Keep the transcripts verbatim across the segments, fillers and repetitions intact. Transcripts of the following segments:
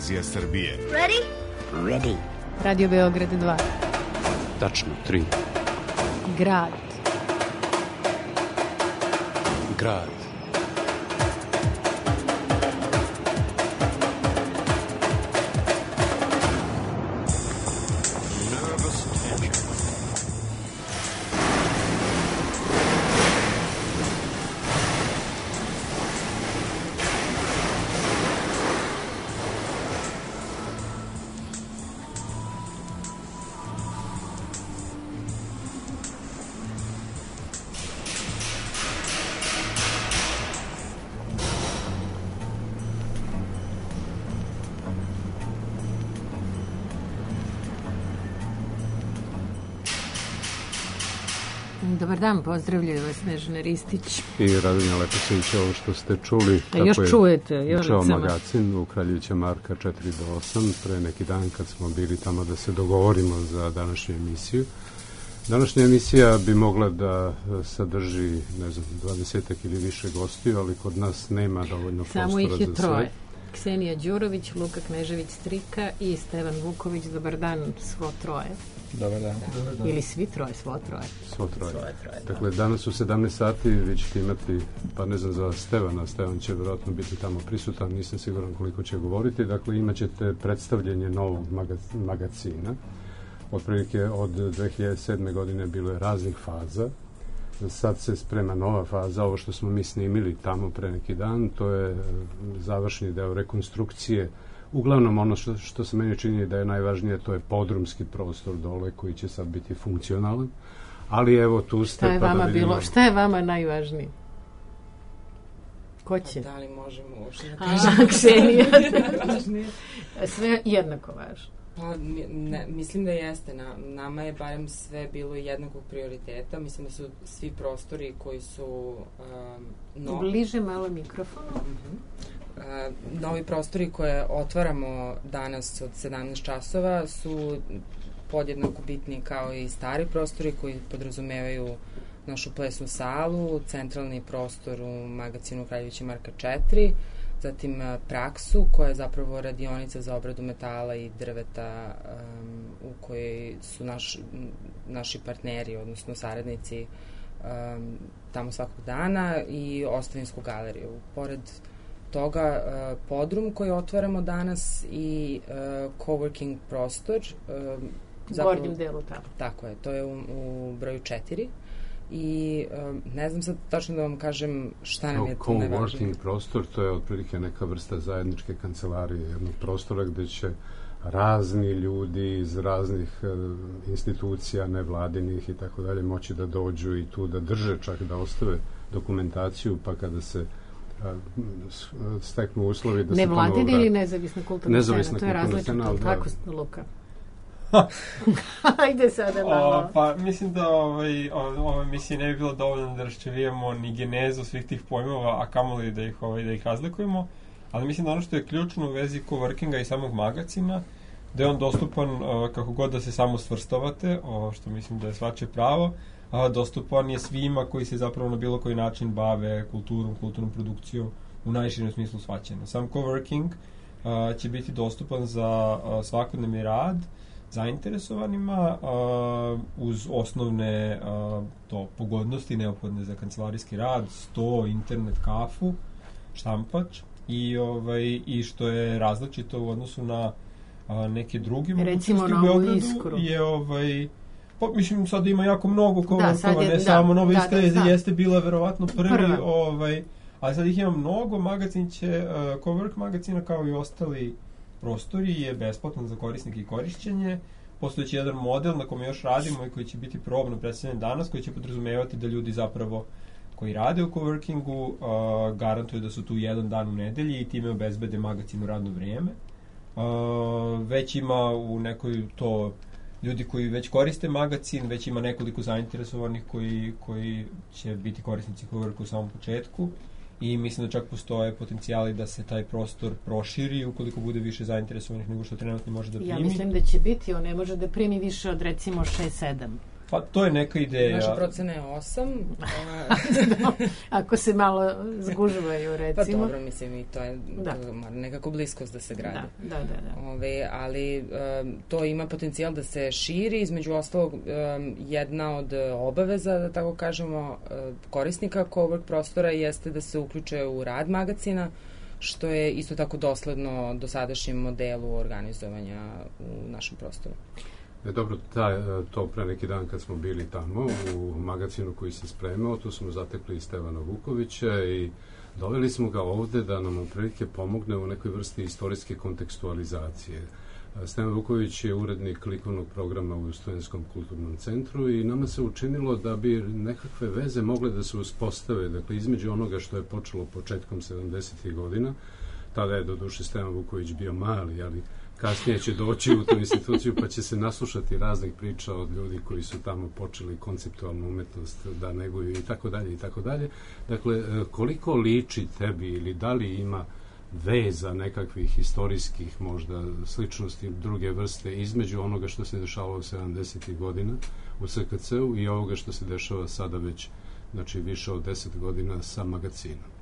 televizija Srbije. Ready? Ready. Radio Beograd dva. Tačno, tri. Grad. Grad. Dobar dan, pozdravljaju vas Snežana Ristić i Radonja Leposević. Ovo što ste čuli, a još je čujete, još Čao magazin u Kraljevića Marka četiri do osam, pre neki dan kad smo bili tamo da se dogovorimo za današnju emisiju. Današnja emisija bi mogla da sadrži, ne znam, dvadesetak ili više gostiju, ali kod nas nema dovoljno prostora za sve. Samo ih je troje. Ksenija Đurović, Luka Knežević-Strika i Stevan Vuković. Dobar dan, svo troje. Dobar dan. Dobar dan. Ili svi troje, svo troje. Svo troje. Svoje troje, dakle, danas u sedamnaest sati vi ćete imati, pa ne znam za Stevana, Stevan će vjerojatno biti tamo prisutan, nisam siguran koliko će govoriti, dakle imat ćete predstavljanje novog magazina. Otprilike od dve hiljade sedme. godine bilo je raznih faza. Sad se sprema nova faza, ovo što smo mi snimili tamo pre neki dan, to je završni deo rekonstrukcije. Uglavnom ono što, što se meni čini da je najvažnije, to je podrumski prostor dole koji će sad biti funkcionalan. Ali evo tu ste. Šta je pa vama da vidimo... bilo? Šta je vama najvažnije? Ko će? Da li možemo uopšte da kažemo? Ksenija. Sve jednako važno. Pa, ne, mislim da jeste. Na, nama je barem sve bilo jednakog prioriteta. Mislim da su svi prostori koji su um, no... bliže malo mikrofonu. Uh-huh. Uh, novi prostori koje otvaramo danas od sedamnaest časova su podjednako bitni kao i stari prostori koji podrazumevaju našu plesnu salu, centralni prostor u magazinu Kraljevića Marka četiri, zatim uh, praksu koja je zapravo radionica za obradu metala i drveta um, u kojoj su naš, naši partneri, odnosno saradnici um, tamo svakog dana, i Ostavinsku galeriju. Pored toga uh, podrum koji otvaramo danas i uh, coworking prostor. Uh, u gornjem delu tamo. Tako je, to je u, u broju četiri. I um, ne znam sad tačno da vam kažem šta nam je to najvažnije. Coworking prostor, to je otprilike neka vrsta zajedničke kancelarije, jednog prostora gde će razni ljudi iz raznih uh, institucija, nevladinih i tako dalje moći da dođu i tu da drže, čak da ostave dokumentaciju, pa kada se steknu uslovi da se ponovo vrati. Nevladina ili nezavisna kulturna nezavisna scena? To je različito. Kako ste, Luka? Ajde sada malo. O, pa mislim da ovaj, ova emisija ne bi bilo dovoljno da raščevijemo ni genezu svih tih pojmova, a kamoli da ih, ovaj, da ih razlikujemo, ali mislim da ono što je ključno u vezi coworkinga i samog magazina, da je on dostupan uh, kako god da se samo svrstavate, o, što mislim da je svačije pravo, a dostupan je svima koji se zapravo na bilo koji način bave kulturom, kulturnom produkcijom u najširem smislu shvaćanja. Sam coworking uh, će biti dostupan za uh, svakodnevni rad zainteresovanima uh, uz osnovne uh, to pogodnosti neophodne za kancelarijski rad, sto, internet, kafu, štampač i, ovaj, i što je različito u odnosu na uh, neke druge mogućnosti u Beogradu je ovaj pa, mislim, sad ima jako mnogo coworkova, ne da, samo Nova Iskra da, da, jeste bila verovatno prvi, Prva. ovaj, ali sad ih ima mnogo. Magazin će, uh, cowork magazina kao i ostali prostori je besplatan za korisnike i korišćenje. Postojeći jedan model na kome još radimo i koji će biti probno predstavljen danas, koji će podrazumevati da ljudi zapravo koji rade u coworkingu uh, garantuju da su tu jedan dan u nedelji i time obezbede magazinu radno vrijeme. Uh, već ima u nekoj to ljudi koji već koriste magazin, već ima nekoliko zainteresovanih koji, koji će biti korisnici coworka u samom početku i mislim da čak postoje potencijali da se taj prostor proširi ukoliko bude više zainteresovanih nego što trenutno može da primi. Ja mislim da će biti, on ne može da primi više od recimo šest sedam Pa to je neka ideja. Naša procena je osam. Ako se malo zgužvaju, recimo. Pa dobro, mislim, i to je da. nekako bliskost da se gradi. Da, da, da. da. Ove, ali um, to ima potencijal da se širi, između ostalog um, jedna od obaveza, da tako kažemo, korisnika cowork prostora jeste da se uključe u rad magacina, što je isto tako dosledno dosadašnjem modelu organizovanja u našem prostoru. E, dobro, taj, to pre neki dan kad smo bili tamo u magazinu koji se spremao, tu smo zatekli Stevana Vukovića i doveli smo ga ovde da nam otprilike pomogne u nekoj vrsti istorijske kontekstualizacije. Stevan Vuković je urednik likovnog programa u Studentskom kulturnom centru i nama se učinilo da bi nekakve veze mogle da se uspostave, dakle, između onoga što je počelo početkom sedamdesetih godina, tada je doduše Stevan Vuković bio mali, ali kasnije će doći u tu instituciju pa će se naslušati raznih priča od ljudi koji su tamo počeli konceptualnu umetnost da neguju i tako dalje i tako dalje. Dakle, koliko liči tebi ili da li ima veza nekakvih istorijskih možda sličnosti druge vrste između onoga što se dešavalo u sedamdesetih godina u S K C-u i ovoga što se dešava sada već, znači, više od deset godina sa magacinom?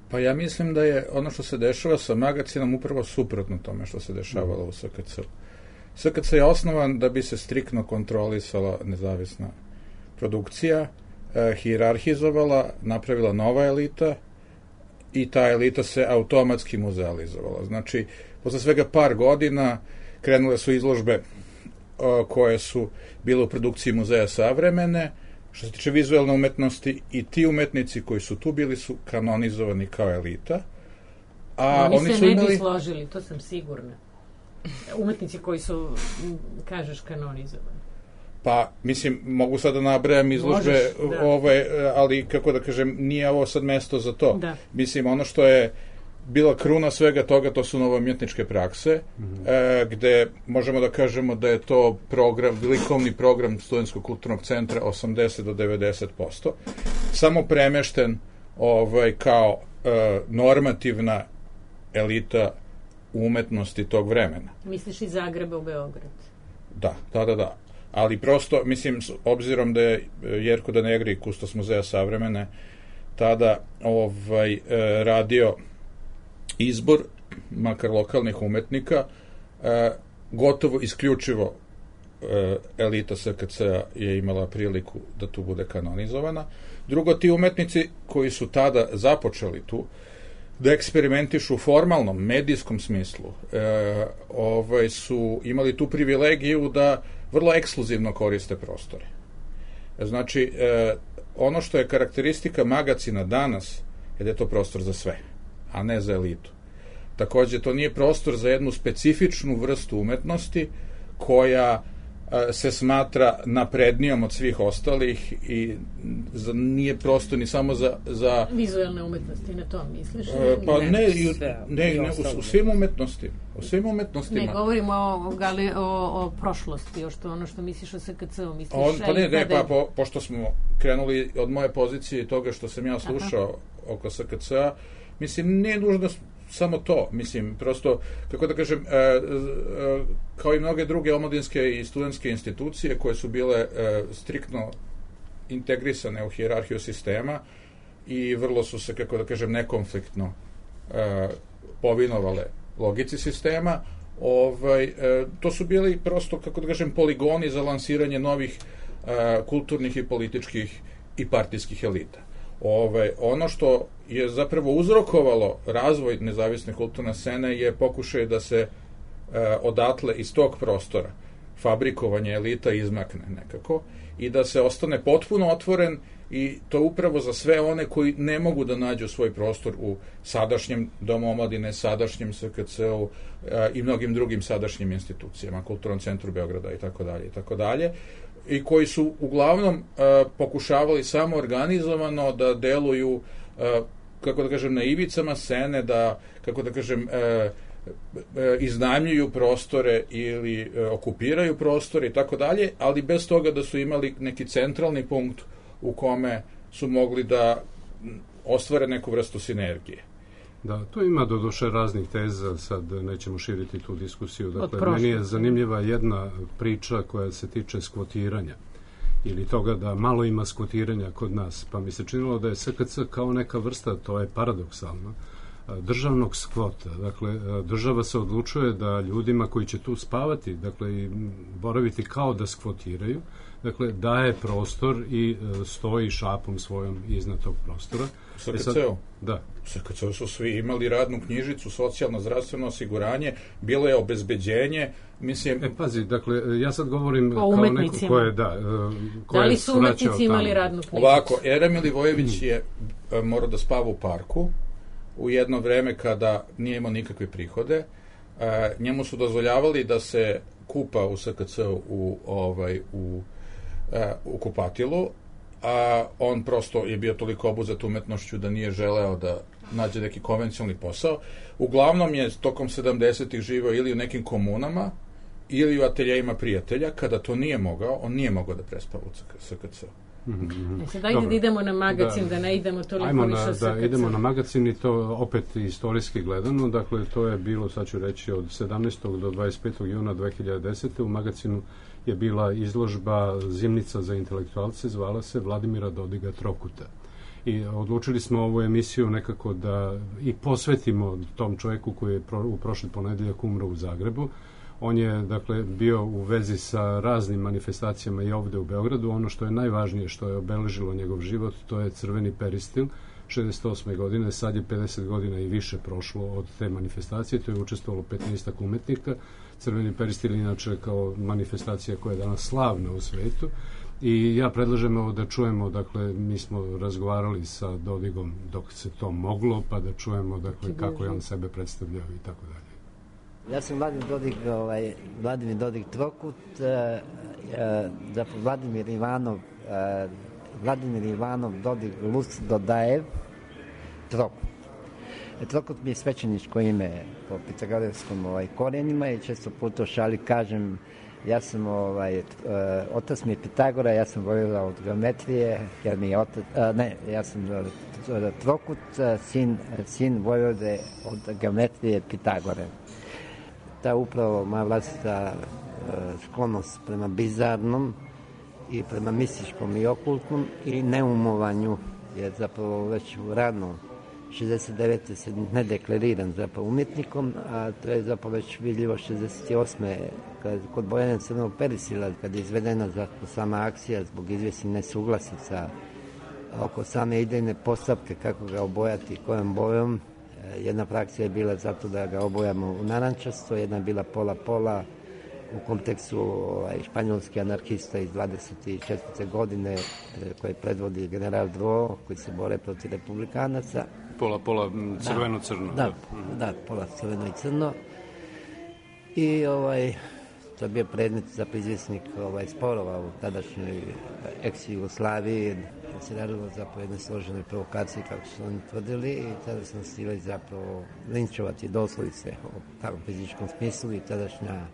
Pa ja mislim da je ono što se dešava sa magacinom upravo suprotno tome što se dešavalo u S K C-u. S K C je osnovan da bi se striktno kontrolisala nezavisna produkcija, eh, hijerarhizovala, napravila nova elita i ta elita se automatski muzealizovala. Znači, posle svega par godina krenule su izložbe eh, koje su bile u produkciji Muzeja savremene. Što se tiče vizualne umetnosti, i ti umetnici koji su tu bili su kanonizovani kao elita. A oni, oni se su ne imali... bi složili, to sam sigurna. Umetnici koji su, kažeš, kanonizovani. Pa, mislim, mogu sad da nabrajam izložbe, Možeš, da. ove, ali, kako da kažem, nije ovo sad mesto za to. Da. Mislim, ono što je bila kruna svega toga, to su novoumjetničke prakse, mm-hmm. e, gde možemo da kažemo da je to program, likovni program Studentskog kulturnog centra osamdeset do devedeset posto, samo premešten ovaj, kao e, normativna elita umetnosti tog vremena. Misliš iz Zagreba u Beograd? Da, da, da, da. Ali prosto, mislim, s obzirom da je Jerko Danegri, kustos Muzeja savremene, tada ovaj, e, radio izbor, makar lokalnih umetnika, e, gotovo isključivo e, elita S K C-a je imala priliku da tu bude kanonizovana. Drugo, ti umetnici koji su tada započeli tu, da eksperimentišu u formalnom, medijskom smislu, e, ovaj, su imali tu privilegiju da vrlo ekskluzivno koriste prostore. Znači, e, ono što je karakteristika magacina danas, je da je to prostor za sve, a ne za elitu. Takođe, to nije prostor za jednu specifičnu vrstu umetnosti koja a, se smatra naprednijom od svih ostalih i za, nije prostor ni samo za... za vizualne umetnosti, na to misliš? A, pa ne, ne, i, sve, ne, ne u, u svim umetnostima. U svim umetnostima. Ne, govorimo o, gali, o, o prošlosti, o što ono što misliš o S K C-u, misliš... On, pa ne, ne, pa po, pošto smo krenuli od moje pozicije i toga što sam ja slušao Aha. oko S K C-a, mislim, nije nužno samo to, mislim, prosto, kako da kažem, e, e, kao i mnoge druge omladinske i studentske institucije koje su bile e, striktno integrisane u hijerarhiju sistema i vrlo su se, kako da kažem, nekonfliktno e, povinovale logici sistema, ovaj, e, to su bili prosto, kako da kažem, poligoni za lansiranje novih e, kulturnih i političkih i partijskih elita. Ove, ono što je zapravo uzrokovalo razvoj nezavisne kulturne scene je pokušaj da se e, odatle iz tog prostora fabrikovanje elita izmakne nekako i da se ostane potpuno otvoren i to upravo za sve one koji ne mogu da nađu svoj prostor u sadašnjem Domu omladine, sadašnjem S K C-u e, i mnogim drugim sadašnjim institucijama, Kulturnom centru Beograda i tako dalje i tako dalje. I koji su uglavnom uh, pokušavali samo organizovano da deluju, uh, kako da kažem, na ivicama scene, da, kako da kažem, uh, uh, iznajmljuju prostore ili uh, okupiraju prostore i tako dalje, ali bez toga da su imali neki centralni punkt u kome su mogli da ostvare neku vrstu sinergije. Da, to ima doduše raznih teza, sad nećemo širiti tu diskusiju. Dakle, meni je zanimljiva jedna priča koja se tiče skvotiranja. ili toga da malo ima skvotiranja kod nas, pa mi se činilo da je S K C kao neka vrsta, to je paradoksalno, državnog skvota. Dakle, država se odlučuje da ljudima koji će tu spavati, dakle, i boraviti kao da skvotiraju, dakle, daje prostor i stoji šapom svojom iznad tog prostora. S K C-u? Da. S K C-u su svi imali radnu knjižicu, socijalno zdravstveno osiguranje, bilo je obezbeđenje, mislim... E, pazi, dakle, ja sad govorim o kao neko ko je, da... Ko da li je su umetnici imali radnu knjižicu? Ovako, Era Milivojević je morao da spava u parku, u jedno vreme kada nije imao nikakve prihode. E, njemu su dozvoljavali da se kupa u S K C-u u, ovaj, u, e, u kupatilu, a on prosto je bio toliko obuzet umetnošću da nije želeo da nađe neki konvencionalni posao. Uglavnom je tokom sedamdesetih živeo ili u nekim komunama, ili u ateljejima prijatelja. Kada to nije mogao, on nije mogao da prespava u S K C-u. Mm-hmm. Znači, dajde da idemo na magazin, da, da ne idemo toliko više o S K C. Da, idemo na magazin i to opet istorijski gledano. Dakle, to je bilo, sad ću reći, od sedamnaestog do dvadeset petog juna dve hiljade desete. U magazinu je bila izložba Zimnica za intelektualce, zvala se Vladimira Dodiga Trokuta. I odlučili smo ovu emisiju nekako da i posvetimo tom čovjeku koji je pro, u prošli ponedeljak umro u Zagrebu. On je, dakle, bio u vezi sa raznim manifestacijama i ovde u Beogradu. Ono što je najvažnije, što je obeležilo njegov život, to je Crveni peristil, šezdeset osme godine, sad je pedeset godina i više prošlo od te manifestacije, to je učestvovalo petnaestak umetnika. Crveni peristil inače kao manifestacija koja je danas slavna u svetu. I ja predlažem ovo da čujemo, dakle, mi smo razgovarali sa Dodigom dok se to moglo, pa da čujemo, dakle, kako je on sebe predstavljao i tako dalje. Ja sam Vladimir Dodig, ovaj, Vladimir Dodig Trokut, uh, uh, zapravo Vladimir Ivanov, uh, Vladimir Ivanov Dodig Luc Dodajev Trokut. E, Trokut mi je svećeničko ime po pitagorejskom ovaj, korenima i često puta u šali kažem, ja sam, ovaj, uh, otac mi je Pitagora, ja sam volila od geometrije, jer mi je otac, uh, ne, ja sam uh, Trokut, uh, sin, sin Vojvode od geometrije Pitagore. Ta upravo moja vlastita uh, sklonost prema bizarnom i prema mističkom i okultnom i neumovanju je zapravo već u rano šezdeset devete se ne deklariran zapravo umjetnikom, a to je zapravo već vidljivo šezdeset osme kad, kod bojanja Crvenog perisila, kad je izvedena zapravo sama akcija zbog izvjesnih nesuglasica oko same idejne postavke kako ga obojati kojom bojom. Jedna frakcija je bila zato da ga obojamo u narančasto, jedna je bila pola-pola u kontekstu ovaj, španjolski anarhista iz dvadeset četvrte godine koji predvodi general Dro, koji se bore protiv republikanaca. Pola-pola crveno-crno. Da, da, da, pola crveno i crno. I ovaj, to je bio predmet za izvjesnik ovaj, sporova u tadašnjoj ex-Jugoslaviji. Se radilo zapravo jednoj složenoj provokaciji, kako su oni tvrdili, i tada smo stili zapravo linčovati doslovice u takvom fizičkom smislu i tadašnja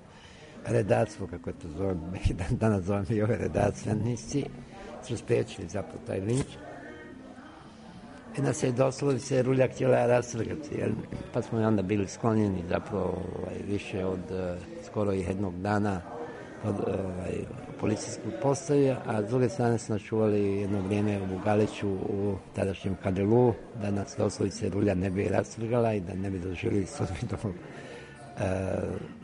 redactvo, kako je to zovem, danas zovem i ove redacijanici, su spriječili zapravo taj linč. I nas je doslovice Rulja htjela rastrgati, jer, pa smo i onda bili sklonjeni zapravo ovaj, više od uh, skoro jednog dana od ovaj, policijskog postaja, a s druge strane smo čuvali jedno vrijeme u Galiću u tadašnjem Kadelu, da nas doslovice Rulja ne bi rastrgala i da ne bi doživjeli sudbinu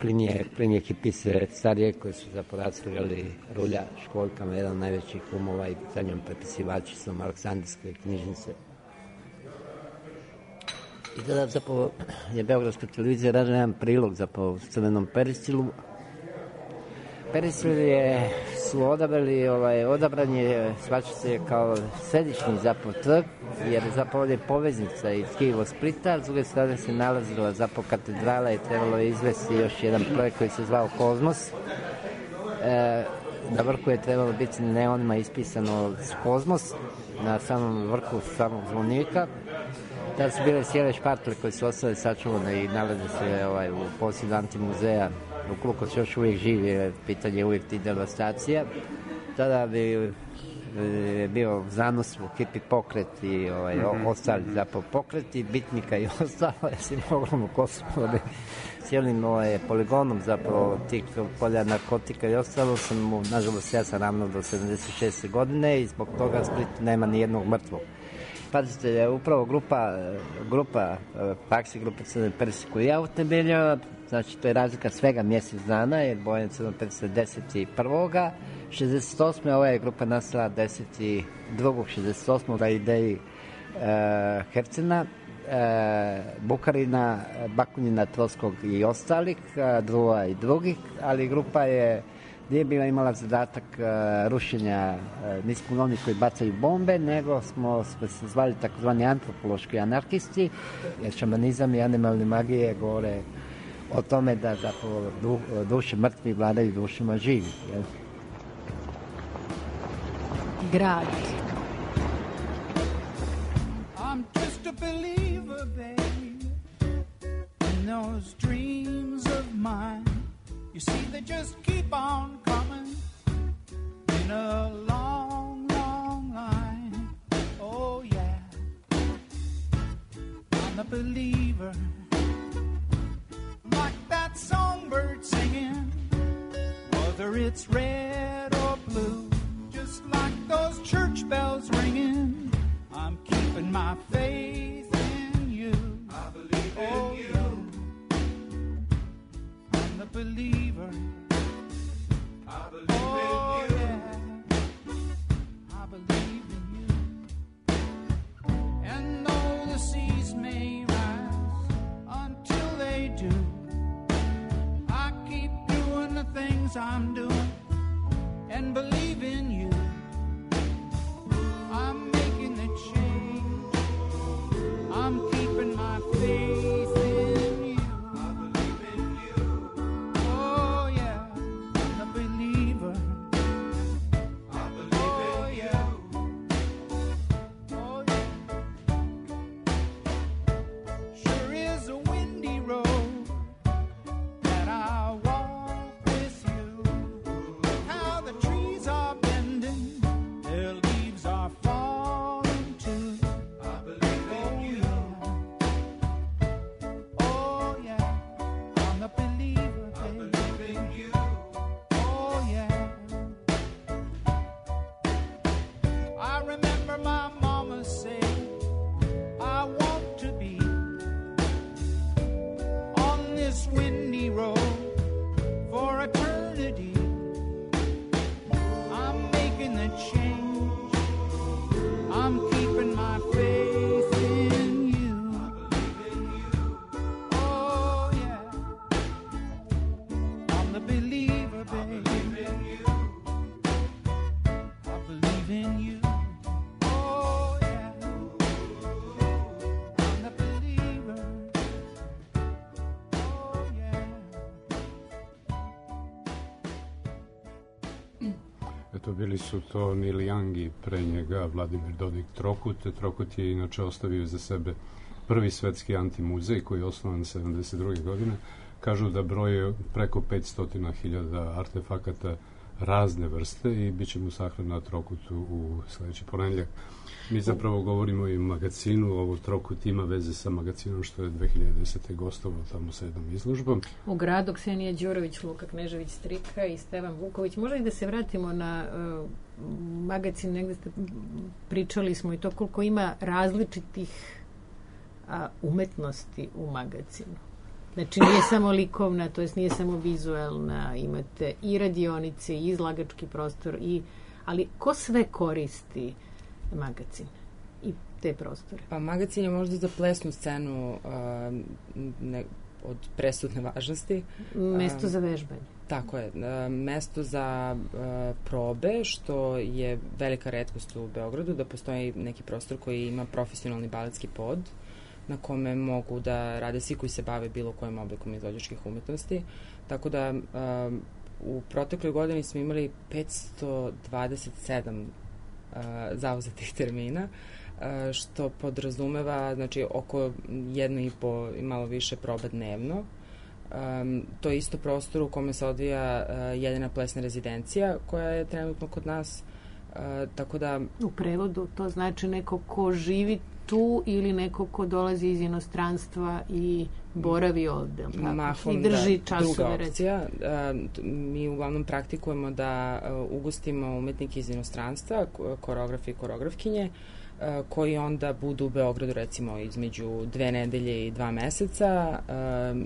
plinije, plinije kipise starije koje su zapravo rastrgali Rulja školjkama, jedan od najvećih umova i za njom prepisivačicom Aleksandrijske knjižnice. I tada zapravo je Beogradska televizija radila jedan prilog zapravo s Crvenom peristilu. Peristil je, su odabrali, ovaj, odabran je, svača se kao središnji zapravo trg, jer zapravo ovdje je poveznica iz Kijevo-Splita, s druge strane se nalazila zapravo katedrala i trebalo je izvesti još jedan projekt koji se zvao Kozmos. E, na vrhu je trebalo biti neonima ispisano Kozmos, na samom vrhu samog zvonika. Tada su bile cijele špatle koje su ostale sačuvane i nalaze se ovaj, u posjedu antimuzeja. Ukoliko se još uvijek živi, pitanje je uvijek ti devastacija. Tada bi je bio zanos u hipi pokret i ovaj, mm-hmm. ostali zapravo pokreti, bitnika i ostalo, ja si moglo Kosovo cijelim ovaj, poligonom zapravo tih polja narkotika i ostalo sam mu, nažalost, ja sam ravno do sedamdeset šeste godine i zbog toga Split nema ni jednog mrtvog. Pazite, upravo grupa, grupa Paksi, grupa Crne Prsi koju ja utemeljio, znači to je razlika svega mjesec dana, jer Bojan Crne Prsi deset prvoga šezdeset osme ova je grupa nastala deset drugog šezdeset osmog na ideji e, Hercena, e, Bukarina, Bakunina, Troskog i ostalih, Druva i drugih, ali grupa je nije bila imala zadatak uh, rušenja, uh, nismo oni koji bacaju bombe, nego smo, smo se zvali takozvani antropološki anarhisti, jer šamanizam i animalne magije govore o tome da zapravo du, duše mrtvi vladaju dušama živi. Jel? Grad. I'm just a believer, babe, in those dreams of mine. You see, they just keep on coming in a long, long line. Oh, yeah. I'm a believer, like that songbird singing, whether it's red or blue, just like those church bells ringing. I'm keeping my faith in you. I believe in oh, you. I'm the believer. I believe oh, in you. Yeah. I believe in you. And though the seas may rise until they do, I keep doing the things I'm doing and believe in you. I'm making the change. I'm keeping my faith in you. I believe in you. Oh yeah, I'm a believer. I believe oh, in yeah. you. Oh yeah. Sure is a windy road that I walk with you. Look how the trees are bending, their leaves are falling too. I believe in you. Oh yeah, I'm a believer, baby. I believe in you. Oh yeah. I remember my mama saying, I want to be on this windy road for eternity. I'm making the change. I'm keeping my faith in you. I believe in you. Oh yeah. I'm the believer, baby. I believe in you. I believe in you. Oh yeah. I'm the believer. Oh yeah. Eto, bili su to Neil Young i pre njega Vladimir Dodik Trokut. Trokut je inače ostavio za sebe prvi svetski antimuzej koji je osnovan sedamdeset druge godine. Kažu da broje preko petsto hiljada artefakata razne vrste i bit će mu sahran na Trokutu u sledeći ponedeljak. Mi zapravo govorimo i o magazinu, ovo Trokut ima veze sa magazinom što je dve hiljade desete gostovao tamo sa jednom izložbom. U gradu Ksenija Đurović, Luka Knežević Strika i Stevan Vuković. Možda i da se vratimo na uh, magazin, negde ste pričali smo i to koliko ima različitih a, umetnosti u magazinu. Znači nije samo likovna, to jest nije samo vizuelna, imate i radionice, i izlagački prostor, i, ali ko sve koristi magazin i te prostore? Pa magazin je možda za plesnu scenu uh, ne, od presudne važnosti. Mesto za vežbanje. Tako je. Uh, mesto za uh, probe, što je velika retkost u Beogradu, da postoji neki prostor koji ima profesionalni baletski pod, na kome mogu da rade svi koji se bave bilo kojim oblikom izvođačkih umetnosti. Tako da um, u protekloj godini smo imali petsto dvadeset sedam uh, zauzetih termina, uh, što podrazumeva znači, oko jedno i po i malo više proba dnevno. Um, to je isto prostor u kome se odvija uh, jedina plesna rezidencija koja je trenutno kod nas. E, tako da... U prevodu to znači neko ko živi tu ili neko ko dolazi iz inostranstva i boravi ovde, mahom, i drži da, časove. Druga opcija. E, mi uglavnom praktikujemo da ugostimo umetnike iz inostranstva, koreografe i koreografkinje, koji onda budu u Beogradu recimo između dve nedelje i dva meseca,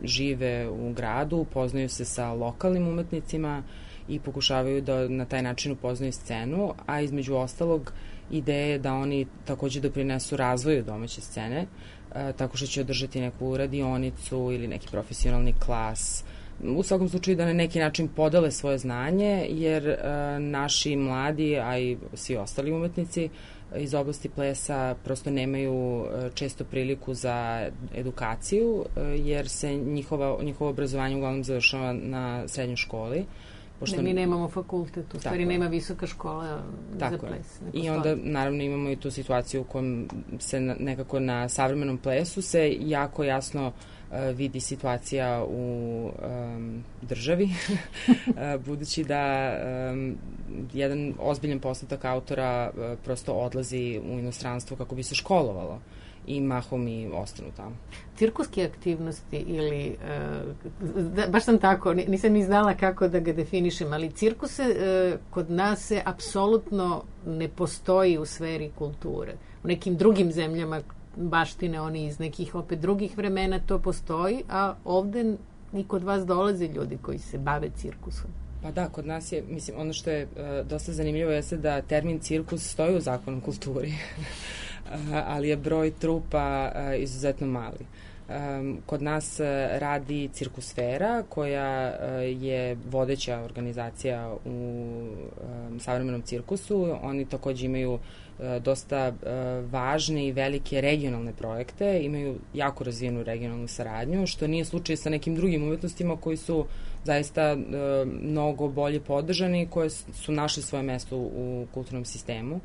žive u gradu, upoznaju se sa lokalnim umetnicima i pokušavaju da na taj način upoznaju scenu, a između ostalog ideja je da oni takođe doprinesu razvoju domaće scene, tako što će održati neku radionicu ili neki profesionalni klas. U svakom slučaju da na neki način podele svoje znanje, jer naši mladi, a i svi ostali umetnici iz oblasti plesa prosto nemaju često priliku za edukaciju, jer se njihova, njihovo obrazovanje uglavnom završava na srednjoj školi. Pošto... Ne, mi nemamo fakultet, u stvari nema visoka škola tako za ples. I onda naravno imamo i tu situaciju u kojem se na, nekako na savremenom plesu se jako jasno uh, vidi situacija u um, državi, budući da um, jedan ozbiljan postotak autora uh, prosto odlazi u inostranstvo kako bi se školovalo i mahom i ostanu tamo. Cirkuske aktivnosti ili, uh, da, baš sam tako, nisam ni znala kako da ga definišem, ali cirkuse uh, kod nas se apsolutno ne postoji u sferi kulture. U nekim drugim zemljama baštine oni iz nekih opet drugih vremena to postoji, a ovde i kod vas dolaze ljudi koji se bave cirkusom. Pa da, kod nas je, mislim, ono što je uh, dosta zanimljivo jeste da termin cirkus stoji u zakonu kulturi. Ali je broj trupa uh, izuzetno mali. Um, kod nas uh, radi Cirkusfera, koja uh, je vodeća organizacija u um, savremenom cirkusu. Oni takođe imaju uh, dosta uh, važne i velike regionalne projekte, imaju jako razvijenu regionalnu saradnju, što nije slučaj sa nekim drugim umetnostima koji su zaista uh, mnogo bolje podržani, koje su našli svoje mesto u kulturnom sistemu.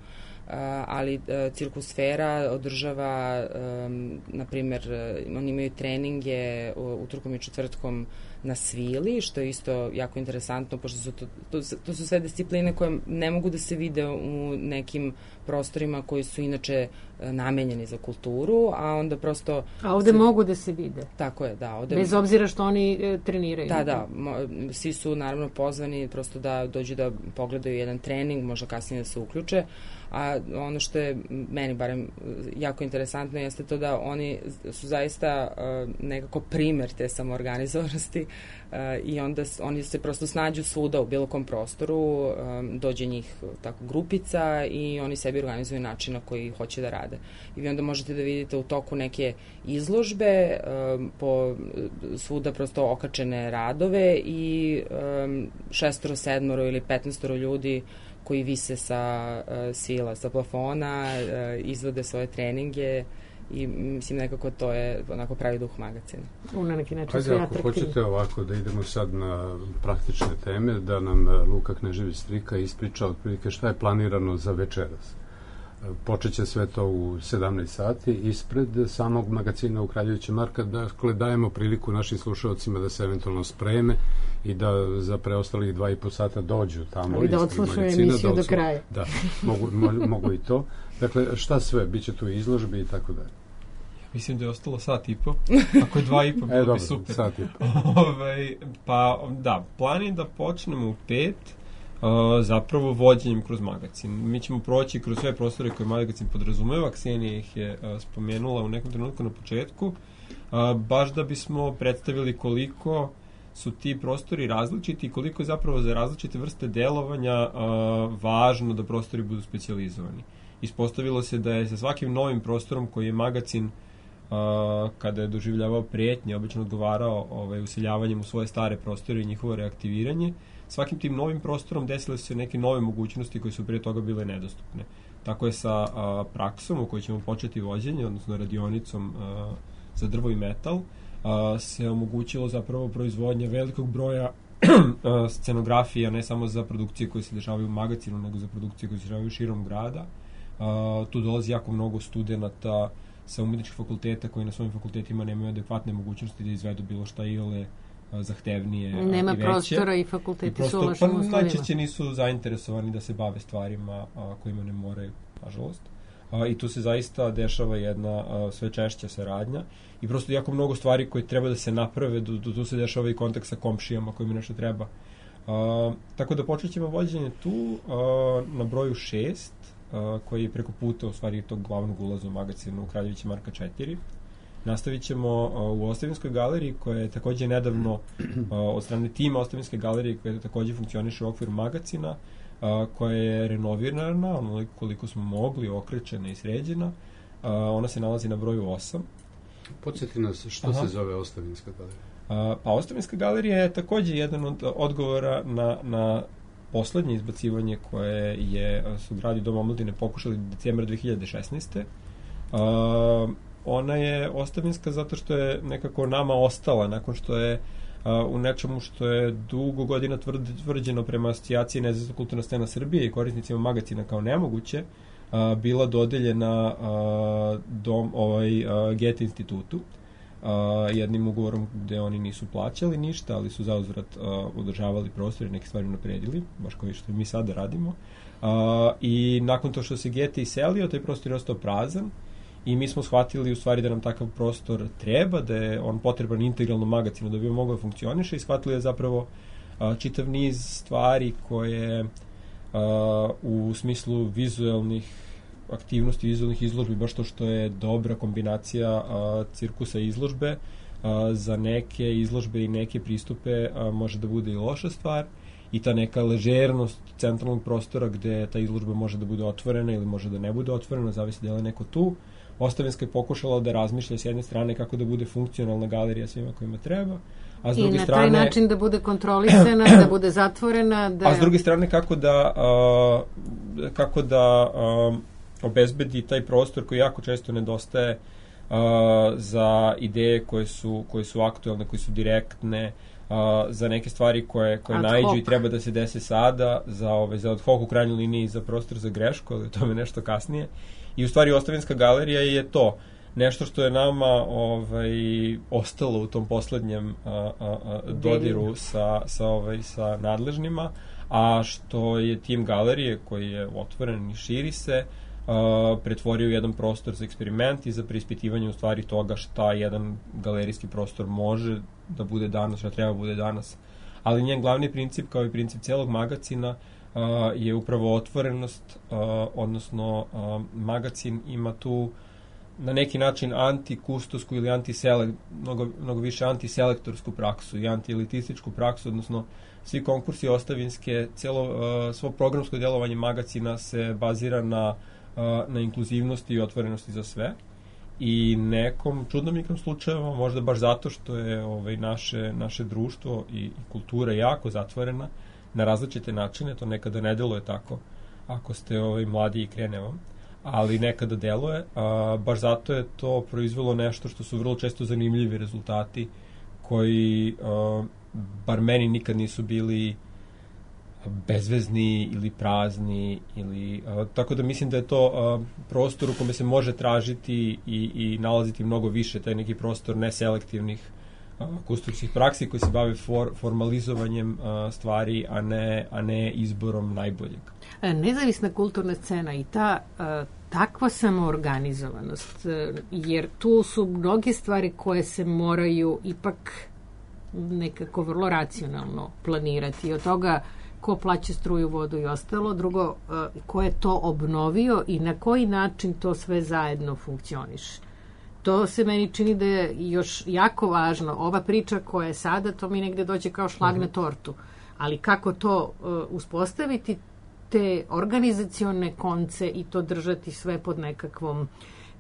Uh, ali uh, Cirkusfera održava, um, na primjer, uh, oni imaju treninge uh, utorkom i četvrtkom na svili, što je isto jako interesantno, pošto su to, to, to su sve discipline koje ne mogu da se vide u nekim prostorima koji su inače uh, namenjeni za kulturu, a onda prosto... A ovde se, mogu da se vide? Tako je, da. Ovde, bez obzira što oni e, treniraju? Da, da. Mo, svi su naravno pozvani prosto da dođu da pogledaju jedan trening, možda kasnije da se uključe, a ono što je meni barem jako interesantno jeste to da oni su zaista uh, nekako primer te samoorganizovanosti uh, i onda s, oni se prosto snađu svuda u bilo kom prostoru, um, dođe njih tako grupica i oni sebi organizuju način na koji hoće da rade. I vi onda možete da vidite u toku neke izložbe, um, po svuda prosto okačene radove i um, šestoro, sedmoro ili petnaestoro ljudi koji vise sa uh, svila, sa plafona, uh, izvode svoje treninge i mislim nekako to je onako pravi duh magacina. U na neki način Ajde, ako hoćete ovako da idemo sad na praktične teme, da nam Luka Knežević-Strika ispriča otprilike šta je planirano za večeras. Počeće sve to u sedamnaest sati ispred samog magacina u Kraljevića Marka. Dakle, dajemo priliku našim slušalcima da se eventualno spreme i da za preostalih dva i po sata dođu tamo. Ali da odslušaju emisiju da do kraja. Da, mogu, mo, mogu i to. Dakle, šta sve? Biće tu izložbe i tako dalje. Mislim da je ostalo sat i po. Ako je dva i po, bilo e, dobro, bi super. Sat i po. Ove, pa, da, plan je da počnemo u pet, Uh, zapravo vođenjem kroz magacin. Mi ćemo proći kroz sve prostore koje magacin podrazumeva, Ksenija ih je uh, spomenula u nekom trenutku na početku, uh, baš da bismo predstavili koliko su ti prostori različiti i koliko je zapravo za različite vrste delovanja uh, važno da prostori budu specijalizovani. Ispostavilo se da je sa svakim novim prostorom koji je magacin uh, kada je doživljavao prijetnje, obično odgovarao ovaj, useljavanjem u svoje stare prostore i njihovo reaktiviranje, svakim tim novim prostorom desile su se neke nove mogućnosti koje su prije toga bile nedostupne. Tako je sa a, praksom u kojoj ćemo početi vođenje, odnosno radionicom a, za drvo i metal, a, se omogućilo zapravo proizvodnje velikog broja a, scenografija, ne samo za produkcije koje se dešavaju u magacinu, nego za produkcije koje se dešavaju širom grada. A, tu dolazi jako mnogo studenata sa umetničkih fakulteta koji na svojim fakultetima nemaju adekvatne mogućnosti da izvedu bilo šta iole zahtevnije Nema i veće. prostora i fakulteti prosto, su u lošim pa, uslovima. najčešće nisu zainteresovani da se bave stvarima a, kojima ne moraju, nažalost. A, I tu se zaista dešava jedna a, sve češća saradnja i prosto jako mnogo stvari koje treba da se naprave, do, do, tu se dešava i kontakt sa komšijama kojima nešto treba. A, tako da počet ćemo vođenje tu a, na broju šest, a, koji je preko puta u stvari tog glavnog ulaza u magazinu u Kraljevića Marka četiri. Nastavit ćemo uh, u Ostavinskoj galeriji, koja je takođe nedavno uh, od strane tima Ostavinske galerije, koja takođe funkcioniše u okviru magazina, uh, koja je renovirana, onoliko koliko smo mogli, okrećena i sređena. Uh, ona se nalazi na broju osam. Podsjeti nas, što Aha. se zove Ostavinska galerija? Uh, pa Ostavinska galerija je takođe jedan od odgovora na, na poslednje izbacivanje koje je, su gradi Dom omladine pokušali decembra dve hiljade šesnaeste. Uh, ona je ostavinska zato što je nekako nama ostala nakon što je uh, u nečemu što je dugo godina tvrd, tvrđeno prema asocijaciji Nezavisna kulturna scena Srbije i korisnicima magazina kao nemoguće, uh, bila dodeljena uh, dom, ovaj, uh, Goethe institutu uh, jednim ugovorom gde oni nisu plaćali ništa, ali su zauzvrat uh, održavali prostor i neke stvari napredili, baš kao što mi sada radimo. Uh, I nakon to što se Goethe iselio, taj prostor je ostao prazan. I mi smo shvatili u stvari da nam takav prostor treba, da je on potreban integralno magazinu da bi on mogao da funkcioniše i shvatili da zapravo a, čitav niz stvari koje a, u smislu vizuelnih aktivnosti, vizuelnih izložbi, baš to što je dobra kombinacija a, cirkusa i izložbe, a, za neke izložbe i neke pristupe a, može da bude i loša stvar i ta neka ležernost centralnog prostora gde ta izložba može da bude otvorena ili može da ne bude otvorena, zavisi da je li neko tu. Ostavinska je pokušala da razmišlja s jedne strane kako da bude funkcionalna galerija svima kojima treba, a s druge strane... I na taj način da bude kontrolisana, da bude zatvorena, da... A s druge strane kako da, a, kako da a, obezbedi taj prostor koji jako često nedostaje a, za ideje koje su, koje su aktuelne, koje su direktne, a, za neke stvari koje, koje naiđu i treba da se dese sada, za, ove, za ad hoc u krajnjoj liniji za prostor za grešku, ali o tome nešto kasnije. I u stvari Ostavinska galerija je to, nešto što je nama ovaj, ostalo u tom poslednjem a, a, a, dodiru sa, sa, ovaj, sa nadležnima, a što je tim galerije koji je otvoren i širi se, a, pretvorio u jedan prostor za eksperiment i za preispitivanje u stvari toga šta jedan galerijski prostor može da bude danas, šta treba da bude danas. Ali njen glavni princip, kao i princip celog magazina, Uh, je upravo otvorenost, uh, odnosno uh, magazin ima tu na neki način antikustovsku ili antiselek, mnogo, mnogo više antiselektorsku praksu i antielitističku praksu, odnosno svi konkursi ostavinske, celo, uh, svo programsko djelovanje magazina se bazira na, uh, na inkluzivnosti i otvorenosti za sve. I nekom čudnom igrom slučajeva, možda baš zato što je ovaj, naše, naše društvo i, i kultura jako zatvorena, na različite načine, to nekada ne deluje tako, ako ste ovaj, mladi i krene vam, ali nekada deluje, a, baš zato je to proizvelo nešto što su vrlo često zanimljivi rezultati, koji, a, bar meni nikad nisu bili bezvezni ili prazni, ili, a, tako da mislim da je to a, prostor u kome se može tražiti i, i nalaziti mnogo više, taj neki prostor neselektivnih kustovskih praksi koji se bave for, formalizovanjem a, stvari, a ne, a ne izborom najboljeg. Nezavisna kulturna scena i ta a, takva samoorganizovanost, jer tu su mnoge stvari koje se moraju ipak nekako vrlo racionalno planirati. I od toga ko plaća struju, vodu i ostalo, drugo, a, ko je to obnovio i na koji način to sve zajedno funkcioniše. To se meni čini da je još jako važno. Ova priča koja je sada, to mi negde dođe kao šlag na tortu. Ali kako to uh, uspostaviti, te organizacione konce i to držati sve pod nekakvom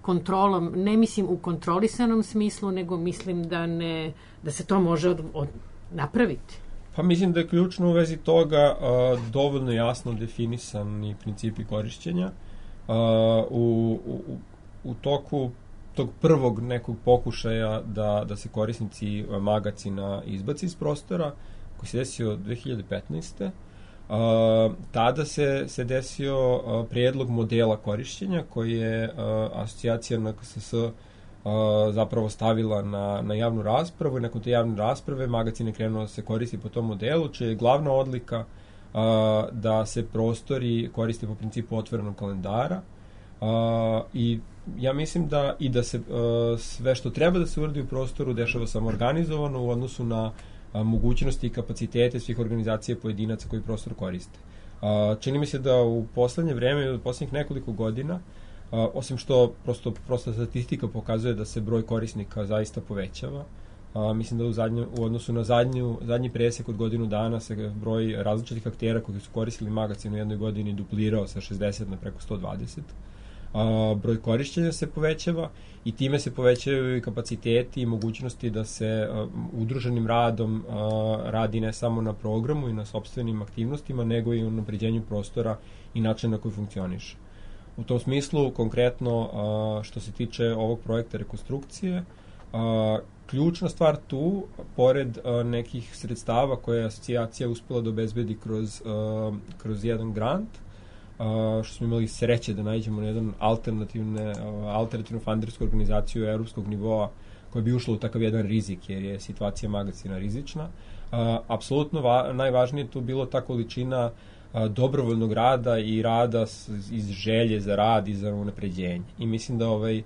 kontrolom, ne mislim u kontrolisanom smislu, nego mislim da, ne, da se to može od, od, napraviti. Pa mislim da je ključno u vezi toga uh, dovoljno jasno definisani principi korišćenja. Uh, u, u, u toku tog prvog nekog pokušaja da, da se korisnici magazina izbaci iz prostora, koji se desio dve hiljade petnaeste. Uh, tada se, se desio uh, prijedlog modela korišćenja koji je uh, asocijacija N K S S uh, zapravo stavila na, na javnu raspravu i nakon te javne rasprave magacin je krenuo da se koristi po tom modelu, čija je glavna odlika a, da se prostori koriste po principu otvorenog kalendara a, i ja mislim da i da se a, sve što treba da se uradi u prostoru dešava samoorganizovano u odnosu na a, mogućnosti i kapacitete svih organizacija pojedinaca koji prostor koriste. A, čini mi se da u poslednje vreme, u poslednjih nekoliko godina, a, osim što prosto, prosto statistika pokazuje da se broj korisnika zaista povećava, a, mislim da u, zadnju, u odnosu na zadnju, zadnji presek od godinu dana se broj različitih aktera koji su koristili magacin u jednoj godini duplirao sa šezdeset na preko sto dvadeset. A, broj korišćenja se povećava i time se povećaju i kapaciteti i mogućnosti da se a, udruženim radom a, radi ne samo na programu i na sopstvenim aktivnostima, nego i u napređenju prostora i načina na koji funkcioniše. U tom smislu, konkretno, a, što se tiče ovog projekta rekonstrukcije, a, ključna stvar tu, pored a, nekih sredstava koje je asocijacija uspela da obezbedi kroz, a, kroz jedan grant, Uh, što smo imali sreće da nađemo na jedan alternativne, uh, alternativnu fundersku organizaciju evropskog nivoa koja bi ušla u takav jedan rizik, jer je situacija magacina rizična. Uh, apsolutno va, najvažnije tu bilo ta količina uh, dobrovoljnog rada i rada s, iz želje za rad i za unapređenje. I mislim da ovaj,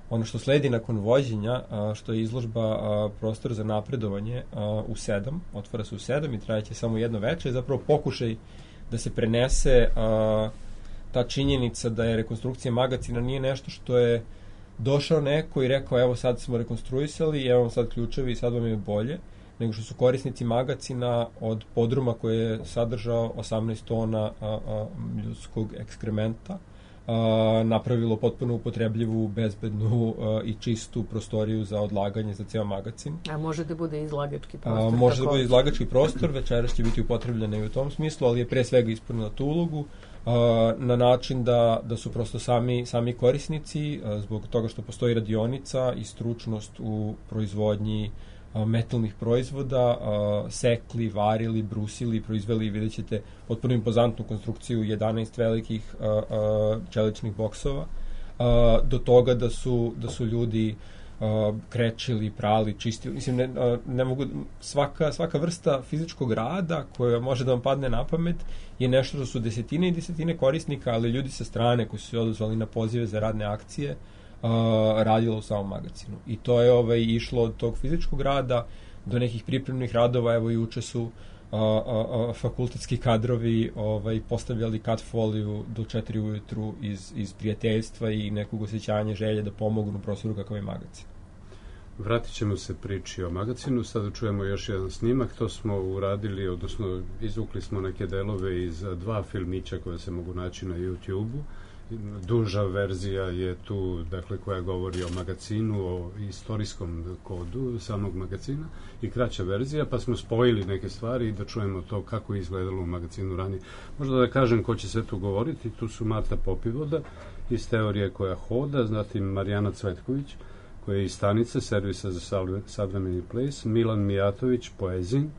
ono što sledi nakon vođenja, uh, što je izložba uh, prostor za napredovanje uh, u sedam, otvara se u sedam i trajeće samo jedno veče, je zapravo pokušaj da se prenese uh, ta činjenica da je rekonstrukcija magacina nije nešto što je došao neko i rekao evo sad smo rekonstruisali, evo vam sad ključevi i sad vam je bolje, nego što su korisnici magacina od podruma koje je sadržao osamnaest tona a, a, ljudskog ekskrementa a, napravilo potpuno upotrebljivu, bezbednu a, i čistu prostoriju za odlaganje za ceo magacin. A može da bude izlagački prostor? A, može da bude izlagački prostor, večeras će biti upotrebljena i u tom smislu, ali je pre svega ispunila tu ulogu a, na način da, da su prosto sami, sami korisnici, a, zbog toga što postoji radionica i stručnost u proizvodnji a, metalnih proizvoda, a, sekli, varili, brusili, proizveli, vidjet ćete potpuno impozantnu konstrukciju jedanaest velikih a, a, čeličnih boksova, a, do toga da su, da su ljudi Uh, krečili, prali, čistili, mislim, ne, uh, ne mogu, svaka, svaka vrsta fizičkog rada koja može da vam padne na pamet je nešto što su desetine i desetine korisnika, ali ljudi sa strane koji su se odazvali na pozive za radne akcije uh, radilo u samom magacinu. I to je ovaj, išlo od tog fizičkog rada do nekih pripremnih radova, evo i uče su a, a, a, fakultetski kadrovi ovaj, postavljali kat foliju do četiri ujutru iz, iz prijateljstva i nekog osjećanja želje da pomognu prostoru kakav je magacin. Vratit ćemo se priči o magacinu, sada čujemo još jedan snimak, to smo uradili, odnosno izvukli smo neke delove iz dva filmića koje se mogu naći na YouTube-u. Duža verzija je tu, dakle, koja govori o magacinu, o istorijskom kodu samog magacina, i kraća verzija, pa smo spojili neke stvari i da čujemo to kako je izgledalo u magacinu ranije. Možda da kažem ko će sve tu govoriti, tu su Marta Popivoda iz Teorije koja hoda, zatim Marijana Cvetković, koja je iz Stanice, servisa za savremeni ples, Milan Mijatović, Poezin,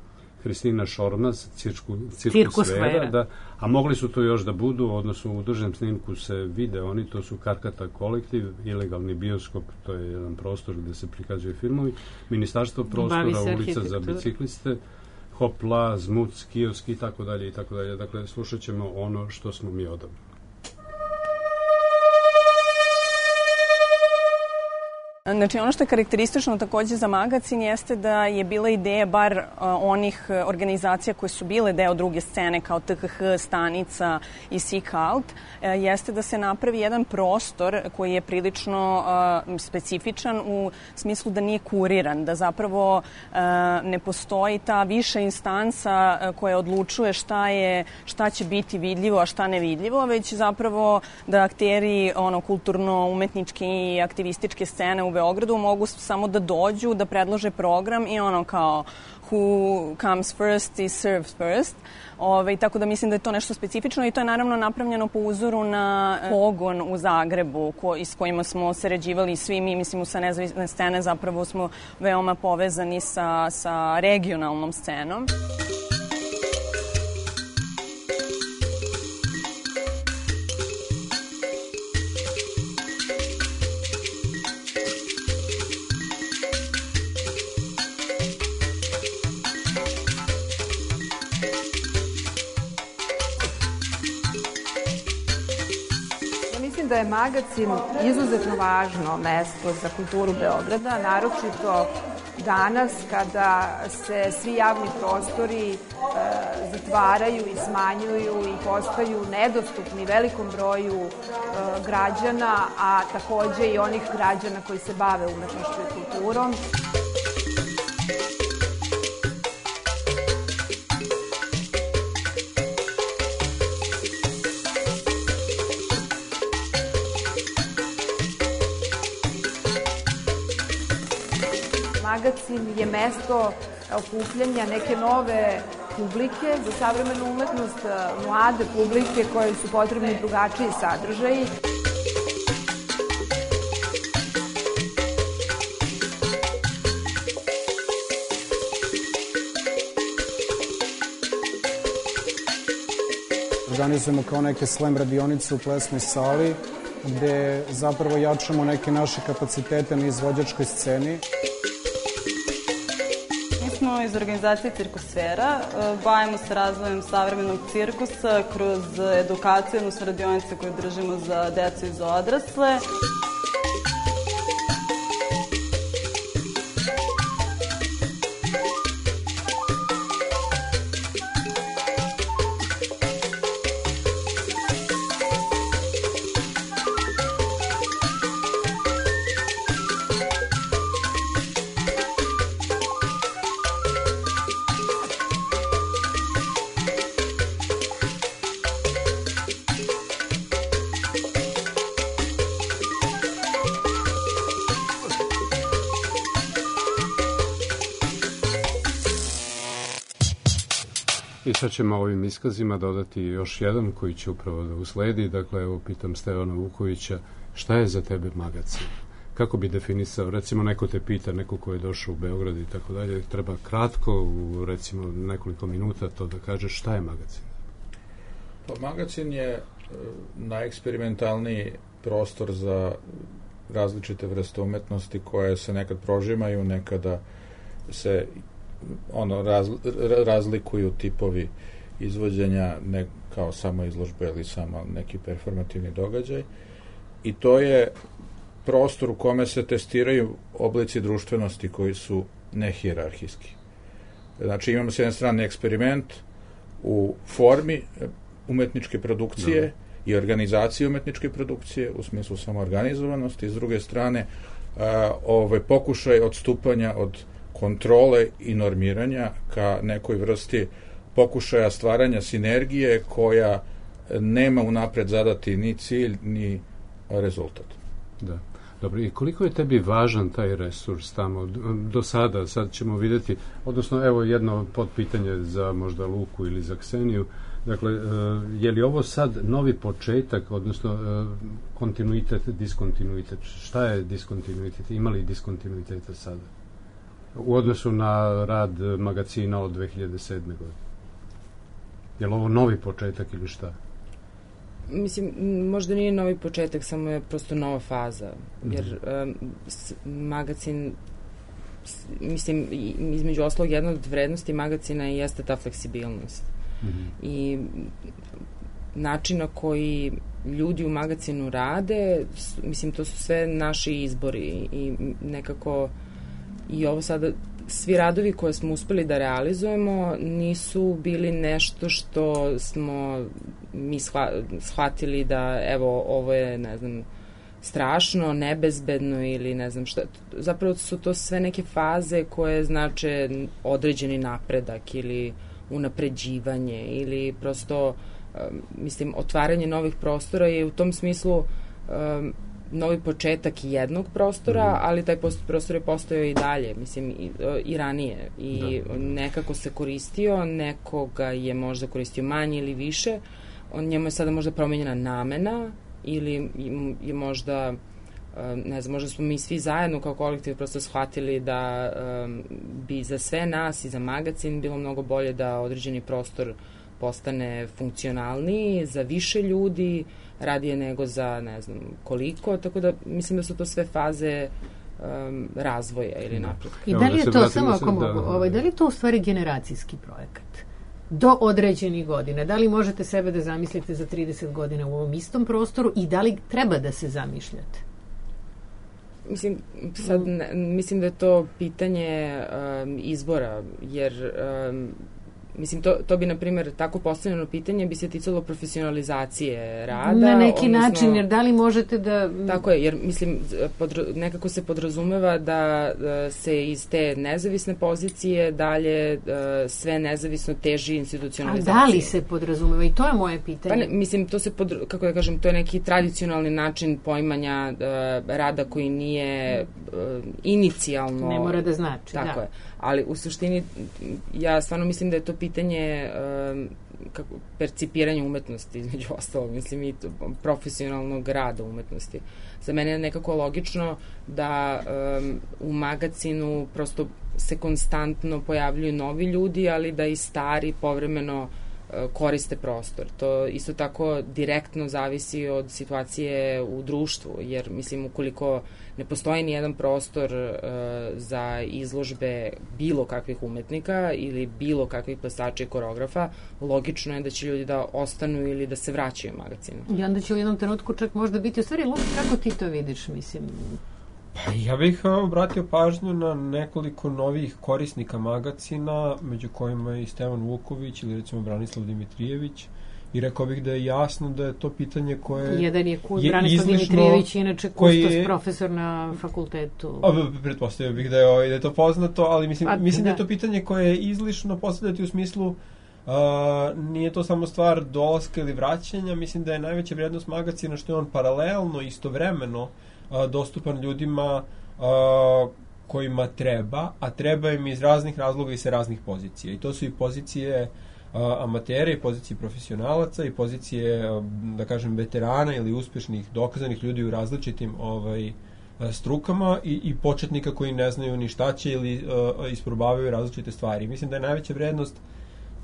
Hristina Šormaz, cirku, cirkusfera, da, a mogli su to još da budu, odnosno u državnom snimku se vide oni, to su Karkata kolektiv, ilegalni bioskop, to je jedan prostor gde se prikazuju filmovi, Ministarstvo prostora, ulica za bicikliste, Hopla, Zmuc, kiosk i tako dalje i tako dalje. Dakle, slušat ćemo ono što smo mi odabrali. Znači, ono što je karakteristično takođe za magacin jeste da je bila ideja bar uh, onih organizacija koje su bile deo druge scene kao T K H, Stanica i Sikalt, uh, jeste da se napravi jedan prostor koji je prilično uh, specifičan u smislu da nije kuriran, da zapravo uh, ne postoji ta viša instanca uh, koja odlučuje šta je, šta će biti vidljivo, a šta nevidljivo, već zapravo da akteri ono, kulturno-umetničke i aktivističke scene u Beogradu mogu samo da dođu, da predlože program i ono kao who comes first is served first. Ove, tako da mislim da je to nešto specifično i to je naravno napravljeno po uzoru na pogon u Zagrebu ko, s kojima smo sarađivali svi mi, mislim, sa nezavisne scene zapravo smo veoma povezani sa, sa regionalnom scenom. da je magacin izuzetno važno mesto za kulturu Beograda, naročito danas kada se svi javni prostori e, zatvaraju i smanjuju i postaju nedostupni velikom broju e, građana, a takođe i onih građana koji se bave umetnošću i kulturom. Magacin je mesto okupljanja neke nove publike, za savremenu umetnost, mlade publike koje su potrebni drugačiji sadržaji. Organizujemo kao neke slam radionice u plesnoj sali, gde zapravo jačamo neke naše kapacitete na izvođačkoj sceni. Smo iz organizacije Cirkusfera, bavimo se razvojem savremenog cirkusa kroz edukaciju, odnosno radionice koje držimo za decu i za odrasle. I sad ćemo ovim iskazima dodati još jedan koji će upravo da usledi. Dakle, evo, pitam Stevana Vukovića, šta je za tebe magacin? Kako bi definisao, recimo neko te pita, neko ko je došao u Beograd i tako dalje, treba kratko, u recimo nekoliko minuta to da kaže šta je magacin? Pa magacin je najeksperimentalniji prostor za različite vrste umetnosti koje se nekad prožimaju, nekada se ono raz, razlikuju tipovi izvođenja, ne kao samo izložbe ili samo neki performativni događaj, i to je prostor u kome se testiraju oblici društvenosti koji su nehijerarhijski. Znači imamo s jedne strane eksperiment u formi umetničke produkcije no. i organizacije umetničke produkcije u smislu samoorganizovanosti, s druge strane a, ove pokušaj odstupanja od kontrole i normiranja ka nekoj vrsti pokušaja stvaranja sinergije koja nema unapred zadati ni cilj, ni rezultat. Da. Dobro, i koliko je tebi važan taj resurs tamo do sada? Sad ćemo vidjeti, odnosno evo jedno podpitanje za možda Luku ili za Kseniju. Dakle, je li ovo sad novi početak, odnosno kontinuitet, diskontinuitet? Šta je diskontinuitet? Ima li diskontinuiteta sada? U odnosu na rad magacina od dve hiljade sedme. godine. Je li ovo novi početak ili šta? Mislim, možda nije novi početak, samo je prosto nova faza. Jer um, s, magacin, s, mislim, između oslog jedna od vrednosti magacina jeste ta fleksibilnost. Mm-hmm. I način na koji ljudi u magacinu rade, s, mislim, to su sve naši izbori i nekako i ovo sada, svi radovi koje smo uspeli da realizujemo nisu bili nešto što smo mi shva, shvatili da evo ovo je, ne znam, strašno, nebezbedno ili ne znam šta. Zapravo su to sve neke faze koje znače određeni napredak ili unapređivanje ili prosto um, mislim, otvaranje novih prostora je u tom smislu um, novi početak jednog prostora, mm. ali taj prostor je postojao i dalje, mislim, i, i ranije. I da, da. nekako se koristio, nekoga je možda koristio manje ili više, on, njemu je sada možda promenjena namena ili je možda, ne znam, možda smo mi svi zajedno kao kolektiv prosto shvatili da um, bi za sve nas i za magacin bilo mnogo bolje da određeni prostor postane funkcionalniji za više ljudi, radije nego za ne znam koliko, tako da mislim da su to sve faze um, razvoja ili napretka. I da li je to, samo ako mogu, ovaj, da li je to u stvari generacijski projekat? do određenih godina. Da li možete sebe da zamislite za trideset godina u ovom istom prostoru i da li treba da se zamišljate? Mislim, sad, ne, mislim da je to pitanje um, izbora, jer um, mislim, to, to bi, na primjer, tako postavljeno pitanje bi se ticalo profesionalizacije rada. Na neki odnosno, način, jer da li možete da... Tako je, jer, mislim, podra, nekako se podrazumeva da, da se iz te nezavisne pozicije dalje da, sve nezavisno teži institucionalizacije. A da li se podrazumeva? I to je moje pitanje. Pa ne, mislim, to se, pod, kako da kažem, to je neki tradicionalni način poimanja da, rada koji nije uh, inicijalno... Ne mora da znači, tako da. je. Ali u suštini, ja stvarno mislim da je to pitanje um, kako, percipiranja umetnosti, između ostalog, mislim i to, profesionalnog rada umetnosti. Za mene je nekako logično da um, u magazinu prosto se konstantno pojavljuju novi ljudi, ali da i stari povremeno uh, koriste prostor. To isto tako direktno zavisi od situacije u društvu, jer mislim ukoliko ne postoji ni jedan prostor uh, za izložbe bilo kakvih umetnika ili bilo kakvih plesača i koreografa, logično je da će ljudi da ostanu ili da se vraćaju u magazinu. I onda će u jednom trenutku čak možda biti, u stvari, Luka, kako ti to vidiš, mislim? Pa ja bih obratio pažnju na nekoliko novih korisnika magazina, među kojima je i Stevan Vuković ili recimo Branislav Dimitrijević. I rekao bih da je jasno da je to pitanje koje Jedan je, ku, je Branislav izlišno, Dimitrijević, inače kustos je, profesor na fakultetu. A, pretpostavio bih da je, da je to poznato, ali mislim, A, mislim da. da je da to pitanje koje je izlišno postavljati u smislu uh, nije to samo stvar dolaska ili vraćanja, mislim da je najveća vrijednost magazina što je on paralelno, istovremeno uh, dostupan ljudima uh, kojima treba, a treba im iz raznih razloga i sa raznih pozicija. I to su i pozicije amatera i pozicije profesionalaca i pozicije, da kažem, veterana ili uspešnih, dokazanih ljudi u različitim ovaj, strukama i, i početnika koji ne znaju ni šta će ili uh, isprobavaju različite stvari. Mislim da je najveća vrednost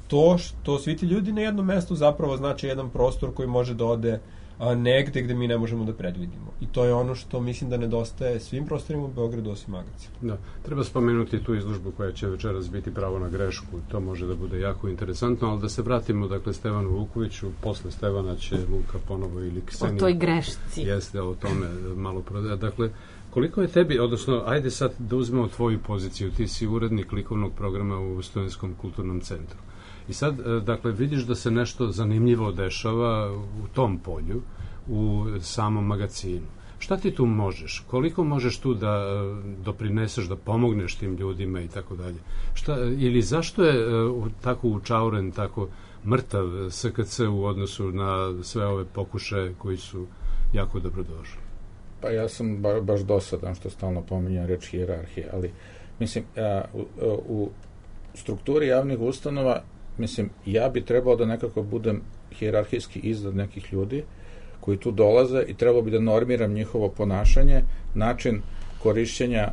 to što svi ti ljudi na jednom mestu zapravo znači jedan prostor koji može da ode a, negde gde mi ne možemo da predvidimo. I to je ono što mislim da nedostaje svim prostorima u Beogradu osim magazina. Da, treba spomenuti tu izložbu koja će večeras biti pravo na grešku. To može da bude jako interesantno, ali da se vratimo, dakle, Stevanu Vukoviću. Posle Stevana će Luka ponovo ili Ksenija. O toj grešci. Jeste, o tome malo prodaje. Dakle, koliko je tebi, odnosno, ajde sad da uzmemo tvoju poziciju. Ti si urednik likovnog programa u Studenskom kulturnom centru. I sad, dakle, vidiš da se nešto zanimljivo dešava u tom polju, u samom magazinu. Šta ti tu možeš? Koliko možeš tu da doprineseš, da pomogneš tim ljudima i tako dalje? Šta, ili zašto je uh, tako učauren, tako mrtav S K C u odnosu na sve ove pokušaje koji su jako dobrodošli? Pa ja sam ba, baš dosadan što stalno pominjam reč hijerarhije, ali mislim, a, u, u strukturi javnih ustanova, mislim, ja bi trebao da nekako budem hijerarhijski iznad nekih ljudi koji tu dolaze i trebao bi da normiram njihovo ponašanje, način korišćenja e,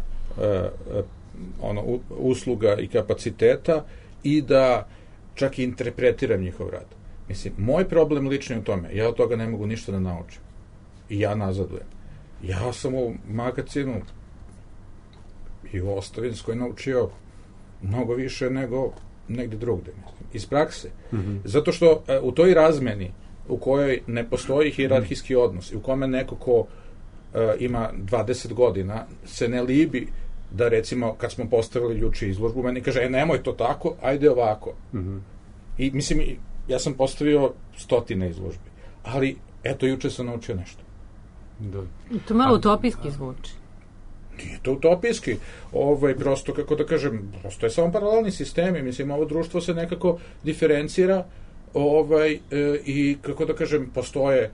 ono, usluga i kapaciteta i da čak i interpretiram njihov rad. Mislim, moj problem lično je u tome, ja od toga ne mogu ništa da naučim. I ja nazadujem. Ja sam u magazinu i u Ostavinskoj naučio mnogo više nego negde drugde, mislim, iz prakse. Mm-hmm. Zato što e, u toj razmeni u kojoj ne postoji hijerarhijski odnos i u kome neko ko e, ima dvadeset godina se ne libi da, recimo, kad smo postavili juče izložbu, meni kaže, e, nemoj to tako, ajde ovako. Mm-hmm. I mislim, ja sam postavio stotine izložbi, ali eto, juče sam naučio nešto. Da. To malo utopijski zvuči. Nije to utopijski, ovaj, prosto, kako da kažem, prosto je samo paralelni sistemi, mislim, ovo društvo se nekako diferencira, ovaj, e, i, kako da kažem, postoje e,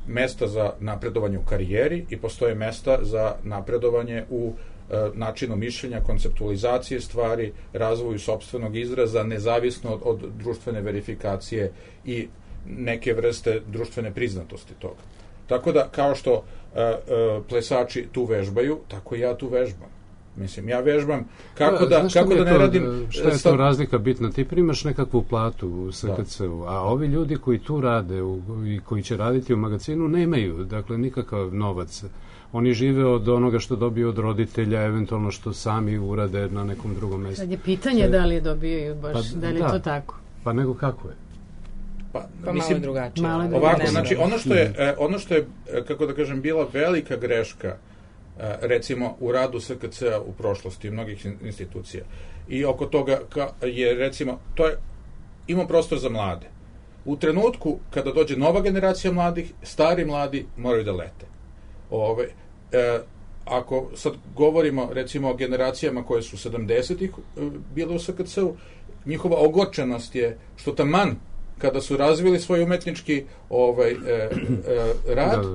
mesta za napredovanje u karijeri i postoje mesta za napredovanje u e, načinu mišljenja, konceptualizacije stvari, razvoju sopstvenog izraza, nezavisno od, od društvene verifikacije i neke vrste društvene priznatosti toga. Tako da, kao što uh, uh, plesači tu vežbaju, tako i ja tu vežbam. Mislim, ja vežbam kako da, kako da ne to, radim... Šta je to razlika bitna? Ti primaš nekakvu platu u S K C-u, a ovi ljudi koji tu rade u, i koji će raditi u magazinu nemaju, dakle, nikakav novac. Oni žive od onoga što dobiju od roditelja, eventualno što sami urade na nekom drugom mjestu. Sad je pitanje da li je dobijaju baš, pa, da li je da. to tako? Pa nego kako je? Pa, pa mislim, malo drugačije. Malo ovako, drugačije. znači, ono što je, e, ono što je, e, kako da kažem, bila velika greška, e, recimo, u radu S K C-a u prošlosti, mnogih in- institucija, i oko toga ka, je, recimo, to je, ima prostor za mlade. U trenutku kada dođe nova generacija mladih, stari mladi moraju da lete. Ove, e, ako sad govorimo, recimo, o generacijama koje su sedamdesetih e, bile u S K C-u, njihova ogorčenost je što taman kada su razvili svoj umetnički ovaj, e, e, rad,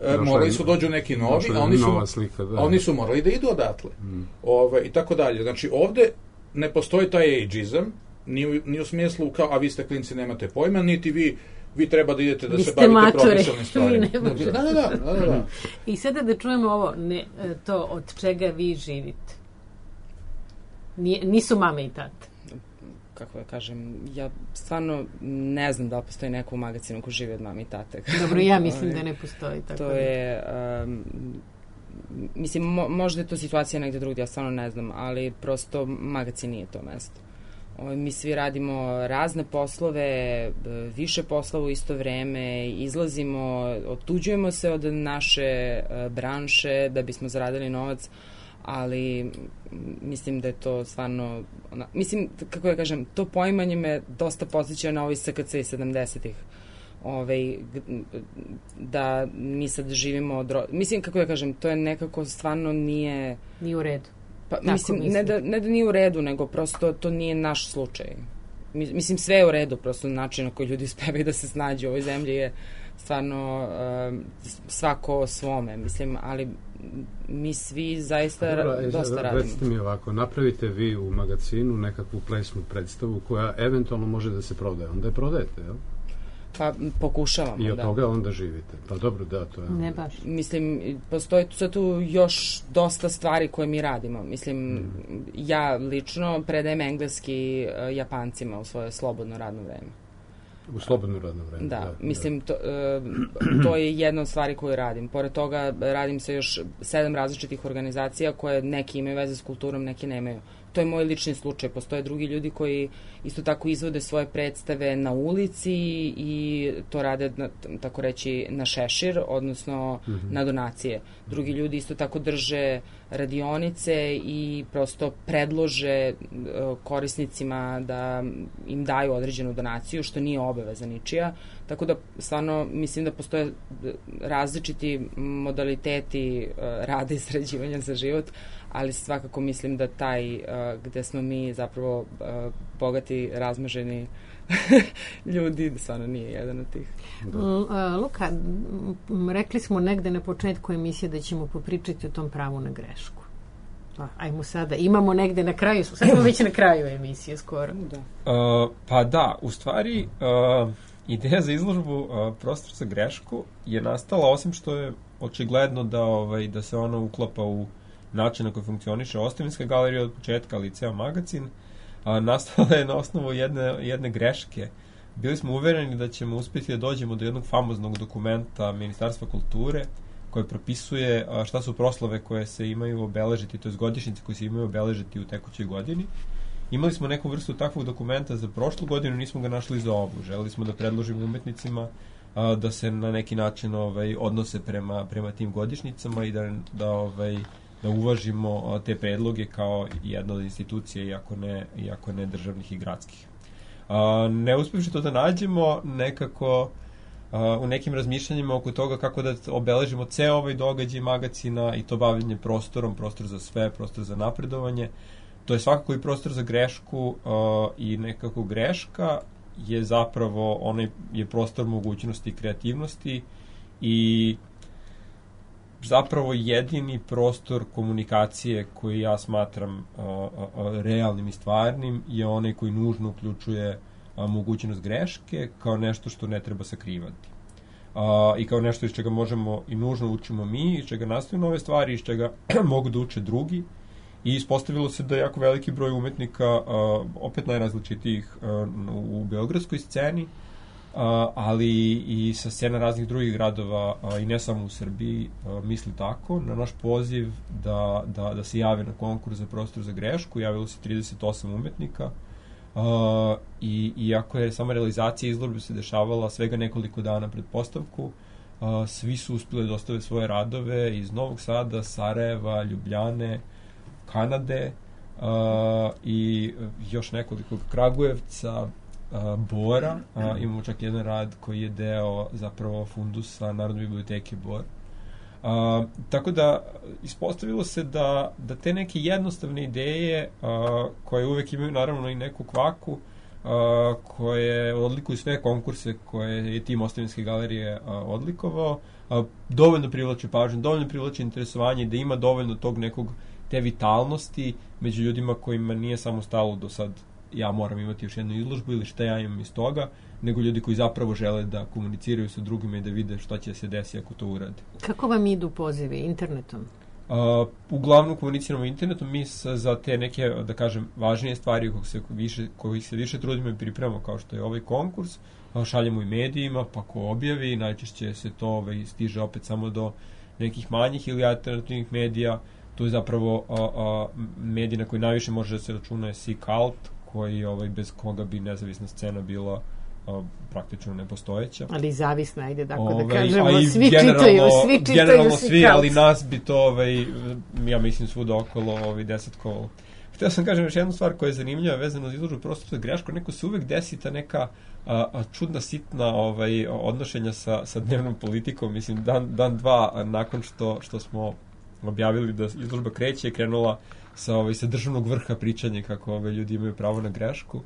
da, da. morali su dođu neki novi, a oni su, slika, da. oni su morali da idu odatle. Mm. Ove, i tako dalje. Znači, ovde ne postoji taj ageizam, ni u, ni u smislu kao, a vi ste klinci, nemate pojma, niti vi vi treba da idete da vi se bavite mačore, profesionalnim stvarima. Da, da, da, da, da, da. I sada da čujemo ovo, ne, to od čega vi živite. Nije, nisu mame i tate. Kako da kažem, ja stvarno ne znam da li postoji neko u magazinu ko živi od mame i tate. Dobro, ja mislim da ne postoji. Tako to da. je, um, mislim, mo, možda je to situacija negde drugdje, ja stvarno ne znam, ali prosto magazin nije to mesto. O, mi svi radimo razne poslove, više poslova u isto vreme, izlazimo, otuđujemo se od naše uh, branše da bismo zaradili novac, ali mislim da je to stvarno, ona, mislim, kako ja kažem, to poimanje me dosta podsjeća na ovaj S K C sedamdesetih. Ovaj, da mi sad živimo od, mislim, kako ja kažem, to je nekako stvarno nije... Nije u redu. Pa, mislim, mislim. Ne, da, ne da nije u redu, nego prosto to nije naš slučaj. Mislim, sve je u redu, prosto način na koji ljudi uspevaju da se snađu u ovoj zemlji je stvarno uh, svako svome, mislim, ali mi svi zaista Dobro, ra- dosta radimo. Recite mi ovako, napravite vi u magazinu nekakvu plesnu predstavu koja eventualno može da se prodaje, onda je prodajete, jel? Pa pokušavamo, da. I od da. toga onda živite. Pa dobro, da, to je... Ne baš. Mislim, postoji tu, tu još dosta stvari koje mi radimo. Mislim, mm. ja lično predajem engleski uh, Japancima u svoje slobodno radno vreme. U slobodno radno vreme. Da, da mislim, to, uh, to je jedna od stvari koju radim. Pored toga radim sa još sedam različitih organizacija koje neki imaju veze s kulturom, neki nemaju. To je moj lični slučaj. Postoje drugi ljudi koji isto tako izvode svoje predstave na ulici i to rade, na, tako reći, na šešir, odnosno mm-hmm. na donacije. Drugi ljudi isto tako drže radionice i prosto predlože uh, korisnicima da im daju određenu donaciju, što nije obaveza ničija. Tako da, stvarno, mislim da postoje različiti modaliteti uh, rada i sređivanja za život, ali svakako mislim da taj uh, gde smo mi zapravo uh, bogati, razmaženi ljudi, stvarno nije jedan od tih. Da. Luka, rekli smo negde na početku emisije da ćemo popričati o tom pravu na grešku. Pa, ajmo sada, imamo negde na kraju, sad smo već na kraju emisije skoro. Da. Uh, pa da, u stvari uh, ideja za izložbu uh, Prostor za grešku je nastala, osim što je očigledno da, ovaj, da se ona uklapa u način na koji funkcioniše Ostavinska galerija od početka, ali i ceo magazin, a, nastala je na osnovu jedne, jedne greške. Bili smo uvereni da ćemo uspjeti da dođemo do jednog famoznog dokumenta Ministarstva kulture koje propisuje a, šta su proslave koje se imaju obeležiti, to je godišnjice koje se imaju obeležiti u tekućoj godini. Imali smo neku vrstu takvog dokumenta za prošlu godinu, nismo ga našli za ovu. Želeli smo da predložimo umetnicima a, da se na neki način ovaj, odnose prema, prema tim godišnjicama i da, da ovaj, da uvažimo te predloge kao jedna od institucija, iako ne, iako ne državnih i gradskih. Ne uspjevši to da nađemo, nekako u nekim razmišljanjima oko toga kako da obeležimo ceo ovaj događaj magazina i to bavljenje prostorom, prostor za sve, prostor za napredovanje, to je svakako i prostor za grešku i nekako greška je zapravo, onaj je prostor mogućnosti i kreativnosti i zapravo jedini prostor komunikacije koji ja smatram a, a, a, realnim i stvarnim je onaj koji nužno uključuje a, mogućnost greške kao nešto što ne treba sakrivati. A, I kao nešto iz čega možemo i nužno učimo mi, iz čega nastaju nove stvari, iz čega mogu da uče drugi. I ispostavilo se da je jako veliki broj umetnika, a, opet najrazličitijih a, u beogradskoj sceni, Uh, ali i sa scena raznih drugih gradova uh, i ne samo u Srbiji uh, misli tako. Na naš poziv da, da, da se jave na konkurs za prostor za grešku javilo se trideset osam umetnika Uh, i, iako je sama realizacija izložbe se dešavala svega nekoliko dana pred postavku, uh, svi su uspjeli da dostave svoje radove iz Novog Sada, Sarajeva, Ljubljane, Kanade uh, i još nekoliko Kragujevca, uh, Bora. Uh, imamo čak jedan rad koji je deo zapravo fundusa Narodne biblioteke Bor. Uh, tako da ispostavilo se da, da te neke jednostavne ideje uh, koje uvek imaju naravno i neku kvaku, uh, koje odlikuju sve konkurse koje je tim Ostavinske galerije uh, odlikovao, uh, dovoljno privlače pažnju, dovoljno privlače interesovanje, da ima dovoljno tog nekog te vitalnosti među ljudima kojima nije samo stalo do sad ja moram imati još jednu izložbu ili šta ja imam iz toga, nego ljudi koji zapravo žele da komuniciraju sa drugima i da vide šta će se desiti ako to uradi. Kako vam idu pozivi? Internetom? Uh, uglavnom komuniciramo internetom, mi sa, za te neke, da kažem, važnije stvari kojih se više, kojih se više trudimo i pripremamo, kao što je ovaj konkurs, uh, šaljemo i medijima, pa ko objavi, najčešće se to ovaj, stiže opet samo do nekih manjih ili alternativnih medija. To je zapravo uh, uh, medij na koji najviše može da se računa je Seek-Alt, koji ovaj, bez koga bi nezavisna scena bila a, praktično nepostojeća. Ali zavisna, ajde tako Ove, da kažemo, generalno, svi čitaju, svi čitaju generalno svi, Seek-Alt. ali nas bi to, ovaj, ja mislim, svuda okolo ovaj, deset kola. Htio sam kažem još jednu stvar koja je zanimljiva vezano za izložbu prostora za grešku, neko se uvek desi ta neka a, a, čudna, sitna ovaj, odnošenja sa, sa dnevnom politikom. Mislim, dan, dan dva a, nakon što, što smo objavili da izložba kreće, je krenula sa, ovaj, sa državnog vrha pričanje kako ovaj, ljudi imaju pravo na grešku.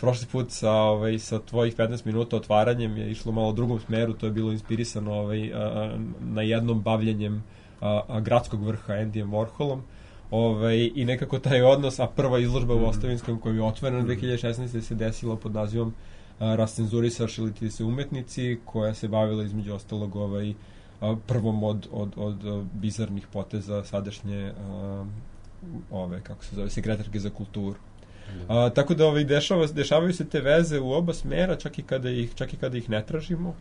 Prošli put sa, ovaj, sa tvojih petnaest minuta otvaranjem je išlo malo u drugom smeru, to je bilo inspirisano ovaj, a, na jednom bavljenjem a, a, gradskog vrha Andyjem Warholom. Ovaj, i nekako taj odnos, a prva izložba u Ostavinskom koja je otvorena dve hiljade šesnaeste. se desila pod nazivom a, Rascenzurisaš ili ti se umetnici, koja se bavila između ostalog ovaj, a, prvom od, od, od, od bizarnih poteza sadašnje a, ove, kako se zove, sekretarke za kulturu. A, tako da ovaj, dešava, dešavaju se te veze u oba smera, čak i kada ih, čak i kada ih ne tražimo.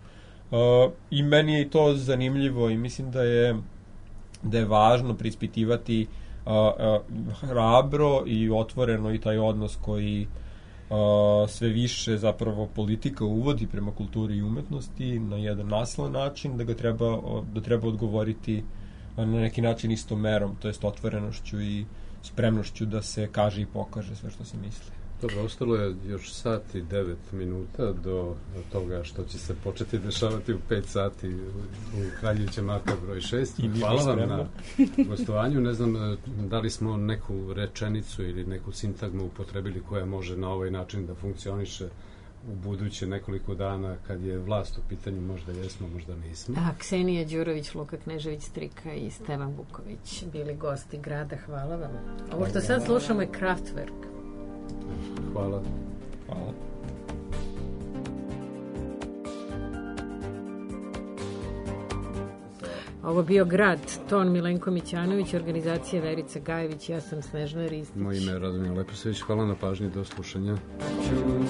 A, I meni je to zanimljivo i mislim da je, da je važno preispitivati a, a, hrabro i otvoreno i taj odnos koji a, sve više zapravo politika uvodi prema kulturi i umetnosti na jedan nasilan način, da ga treba, da treba odgovoriti na neki način istom merom, to jest otvorenošću i spremnošću da se kaže i pokaže sve što se misli. Dobro, ostalo je još sat i devet minuta do toga što će se početi dešavati u pet sati u Kraljevića Marka broj šest. Hvala vam na gostovanju. Ne znam da li smo neku rečenicu ili neku sintagmu upotrebili koja može na ovaj način da funkcioniše u buduće nekoliko dana kad je vlast u pitanju, možda jesmo, možda nismo. A, Ksenija Đurović, Luka Knežević Strika i Stevan Vuković bili gosti grada. Hvala vam. Ovo što sad slušamo je Kraftwerk. Hvala. Hvala. Ovo bio Grad, ton Milenko Mićanović, organizacija Verica Gajević, ja sam Snežana Ristić. Moje ime je Radomir Leposević, hvala na pažnji, do slušanja. Alone.